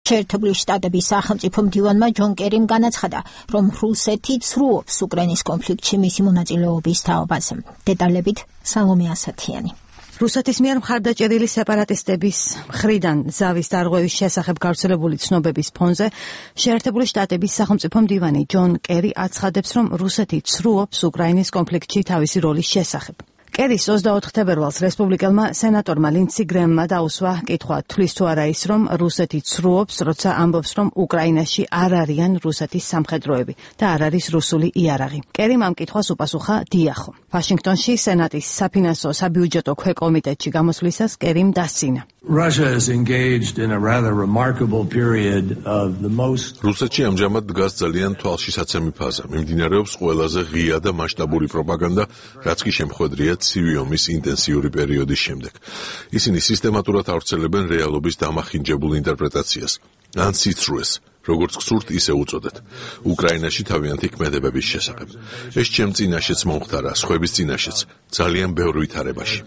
შეერთებული შტატების სახელმწიფო მდივანმა ჯონ კერიმ განაცხადა, რომ რუსეთი ცრუობს უკრაინის კონფლიქტში მისი მონაწილეობის თაობაზე. დეტალებით სალომე ასათიანი. რუსეთის მიერ მხარდაჭერილი სეპარატისტების მხრიდან ზავის დარღვევის შესახებ გავრცელებული ცნობების ფონზე შეერთებული შტატების სახელმწიფო მდივანი ჯონ კერი აცხადებს, რომ რუსეთი ცრუობს უკრაინის კონფლიქტში თავისი როლის შესახებ. კერის 24 თებერვალს რესპუბლიკელმა სენატორმა ლინდსი გრემმა დაუსვა კითხვა, თვლის თუ არა ის, რომ რუსეთი ცრუობს, როცა ამბობს, რომ უკრაინაში არ არიან რუსეთის სამხედროები და არ არის რუსული იარაღი. კერიმ ამ კითხვას უპასუხა დიახო. ვაშინგტონში სენატის საფინანსო საბიუჯეტო ქვეკომიტეტში გამოსვლისას კერიმ დასცინა. რუსეთში ამჟამად დგას ძალიან თვალშისაცემი ფაზა. მიმდინარეობს ყველაზე ღია და მასშტაბური პროპაგანდა, რაც კი შემხვედრია ცივი ომის ინტენსიური პერიოდის შემდეგ. ისინი სისტემატურად ავრცელებენ რეალობის დამახინჯებულ ინტერპრეტაციას, ან სიცრუეს, როგორც გსურთ, ისე უწოდეთ. უკრაინაში თავიანთი ქმედებების შესახებ. ეს ჩემ წინაშეც მომხდარა, სხვების წინაშეც, ძალიან ბევრ ვითარებაში.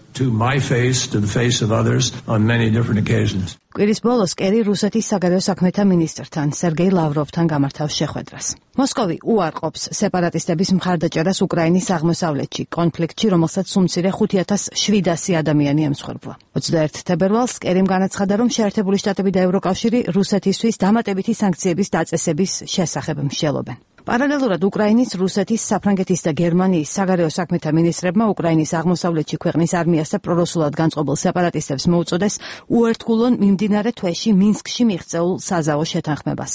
კვირის ბოლოს კერი რუსეთის საგარეო საქმეთა მინისტრთან სერგეი ლავროვთან გამართავს შეხვედრას. მოსკოვი უარყოფს სეპარატისტების მხარდაჭერას უკრაინის აღმოსავლეთში, კონფლიქტში, რომელსაც უმცირე 5700 ადამიანი ემსხვერპლა. 21 თებერვალს კერიმ განაცხადა, რომ შეერთებული შტატები და ევროკავშირი რუსეთისთვის დამატებითი სანქციების დაწესების შესახებ მსჯელობენ. პარალელურად უკრაინის, რუსეთის, საფრანგეთის და გერმანიის საგარეო საქმეთა მინისტრებმა უკრაინის აღმოსავლეთში ქვეყნის არმიას და პრორუსულად განწყობილ სეპარატისტებს მოუწოდეს უერთგულონ მიმდინარე თვეში მინსკში მიღწეულ საზავო შეთანხმებას.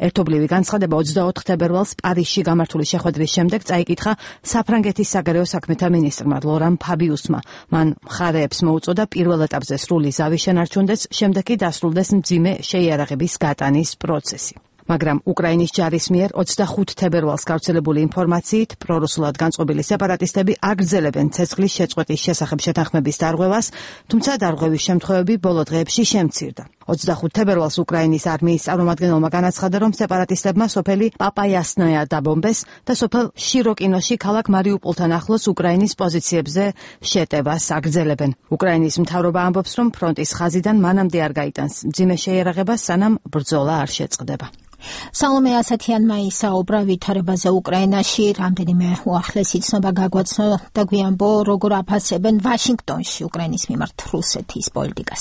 ერთობლივი განცხადება 24 თებერვალს პარიზში გამართული შეხვედრის შემდეგ წაიკითხა საფრანგეთის საგარეო საქმეთა მინისტრმა ლორან ფაბიუსმა. მან მხარეებს მოუწოდა პირველ ეტაპზე სრული ზავის შენარჩუნდეს, შემდეგ კი დასრულდეს მძიმე შეიარაღების გატანის პროცესი. მაგრამ უკრაინის ჯარის მიერ 25 თებერვალს გავრცელებული ინფორმაციით პრორუსულად განწყობილი სეპარატისტები აგრძელებენ ცეცხლის შეწყვეტის შესახებ შეთანხმების დარღვევას, თუმცა დარღვევის შემთხვევები ბოლო დღეებში შემცირდა. 25 თებერვალს უკრაინის არმიის წარმომადგენელმა განაცხადა, რომ სეპარატისტებმა სოფელი პაპაიასნოია დაბომბეს და სოფელ შიროკინოში ქალაქ მარიუპოლთან ახლოს უკრაინის პოზიციებზე შეტევას აგრძელებენ. უკრაინის მთავრობა ამბობს, რომ ფრონტის ხაზიდან მანამდე არ გაიტანს მძიმე შეიარაღებას, სანამ ბრძოლა არ შეწყდება. სალომე ასათიანმა ისაუბრა ვითარებაზე უკრაინაში, რამდენიმე უახლესი ცნობა გაგვაცნო და გვიანბო, როგორ აფასებენ ვაშინგტონში უკრაინის მიმართ რუსეთის პოლიტიკას.